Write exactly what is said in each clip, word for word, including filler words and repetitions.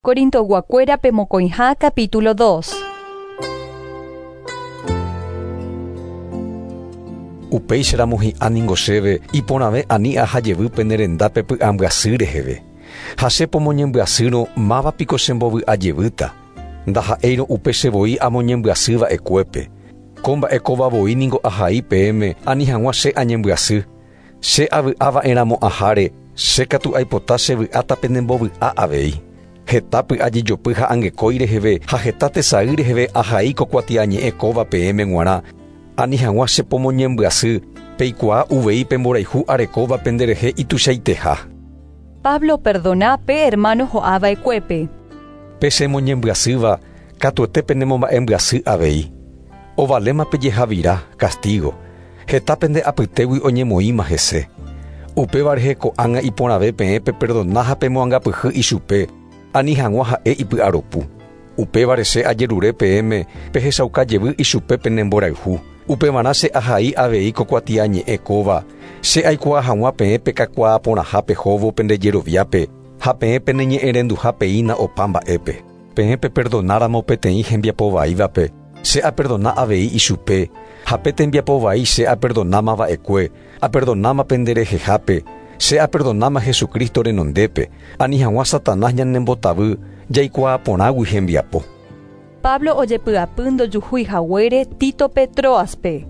Corintoyguakuérape mokõiha capítulo dos. Upéicharamo hi'ã ningo chéve iporãve ani aha jevýpe ne rendápe py'ambyasy reheve. Ha che pomoñembyasýrõ mávapiko chembovy'a jevýta. Ndaha'éirõ upe chevoi amoñembyasýva'ekuépe. Ko mba'e kóva voi ningo ahai peẽme ani hag̃ua che añembyasy. Che avy'ava'erãmo'ãháre, che katu aipota chevy'áta penembovy'a avei. Heta py'ajejopy ha angekói reheve ha heta tesay reheve ahai ko kuatiañe'ẽ kóva peẽme g̃uarã. Ani hag̃ua che pomoñembyasy, peikuaa uvei pemborayhu arekóva penderehe ituichaiteha. Pablo perdona pe hermano ho'ava'ekuépe. Pe chemoñembyasýva katuete penemomba'embyasy avei. Ovaléma pejehavira, castigo. Heta pende apytégui oñemoĩma hese. Upéva rehe ko'ág̃a iporãve peẽ peperdona ha pemoangapyhy ichupe, ani hag̃ua ha'e ipy'aropu. Upévare che ajerure peẽme pehechauka jevy ichupe penemborayhu. Upevarã che ahai avei ko kuatiañe'ẽ kóva, che aikuaa hag̃ua peẽ pekakuaaporãha pehóvo pendejeroviápe ha peẽ peneñe'ẽrenduha peína opa mba'épe. Peẽ peperdonáramo peteĩ hembiapovaívape, che aperdona avei ichupe, ha pe tembiapovai che aperdonámava'ekue, aperdonáma penderehehápe, che aperdonáma Jesucristo renondépe, ani hag̃ua Satanás ñanembotavy jaikuaaporãgui hembiapo. Pablo ojepy'apy ndojuhúi haguére Títope Troaspe.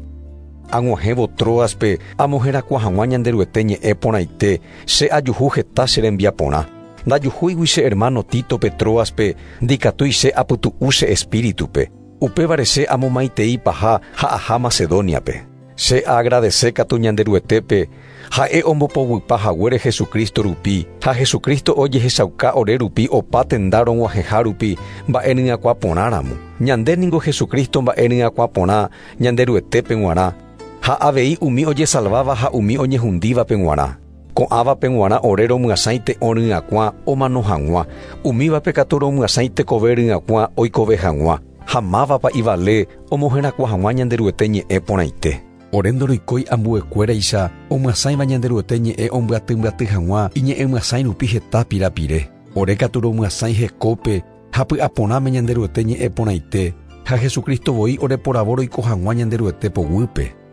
Ag̃uahẽvo Troaspe amoherakuã hag̃ua Ñanderuete ñe'ẽ porãite, che ajuhu heta che rembiaporã. Ndajuhúigui che hermano Títope Troaspe ndikatúi che apytu'u che espíritupe. Upévare che amomaitei paha ha aha Macedoniape. Che agradece katu Ñanderuetépe ha'e ombopoguýpa haguére Jesucristo rupi ha Jesucristo ojehechauka ore rupi opa tenda rog̃uahẽha rupi mba'e ryakuãporãramo. Ñande ningo Jesucristo mba'e ryakuãporã Ñanderuetépe g̃uarã ha avei umi ojesalváva ha umi oñehundívape g̃uarã. Ko'ãvape g̃uarã ore romyasãite oryakuã omano hag̃ua, umívape katu romyasãite kove ryakuã oikove hag̃ua. Ha mávapa ivale omoherakuã hag̃ua Ñanderuete ñe'ẽ porãite. Ore ndoroikói ambuekuéraicha omyasãiva Ñanderuete ñe'ẽ ombyatymbyatý hag̃ua iñe'ẽmyasãi rupi heta pirapire. Ore katu romyasãi hekópe ha py'aporãme Ñanderuete ñe'ẽ porãite ha Jesucristo voi oreporavo roiko hag̃ua Ñanderuete poguýpe.